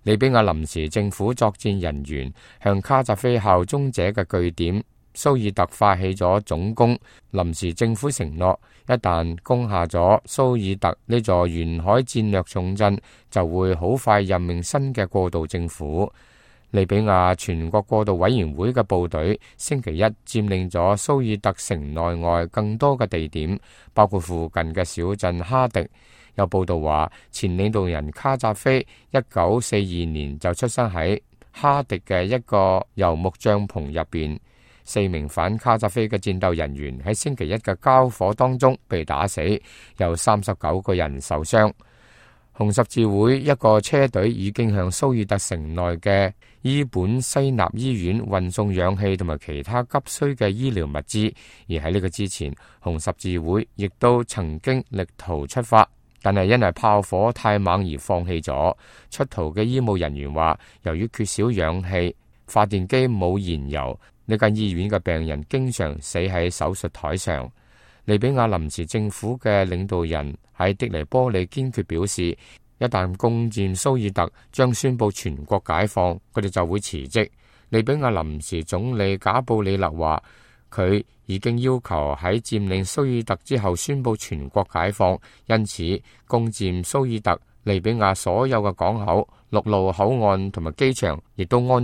利比亞臨時政府作戰人員向卡扎菲效忠者嘅據點蘇爾特發起咗總攻。臨時政府承諾，一旦攻下咗蘇爾特呢座沿海戰略重鎮，就會好快任命新嘅過渡政府。利比亞全國過渡委員會嘅部隊星期一佔領咗蘇爾特城內外更多嘅地點，包括附近嘅小鎮哈迪。有報道話，前領導人卡扎菲1942年就出生喺哈迪嘅一個遊牧帳篷入邊。4名反卡扎菲嘅戰鬥人員喺星期一嘅交火當中被打死，有39個人受傷。紅十字會一個車隊已經向蘇爾特城內嘅伊本西納醫院運送氧氣同埋其他急需嘅醫療物資，而喺呢個之前，紅十字會亦都曾經力圖出發，但係因為炮火太猛而放棄咗。出逃嘅醫務人員話，由於缺少氧氣，發電機冇燃油，呢間醫院嘅病人經常死喺手術台上。利比亞臨時政府嘅領導人喺的黎波里堅決表示，一旦攻佔蘇爾特，將宣布全國解放，佢哋就會辭職。利比亞臨時總理賈布里勒話，佢已經要求喺佔領蘇爾特之後宣布全國解放，因此攻佔蘇爾特，利比亞所有嘅港口、陸路口岸同埋機場亦都安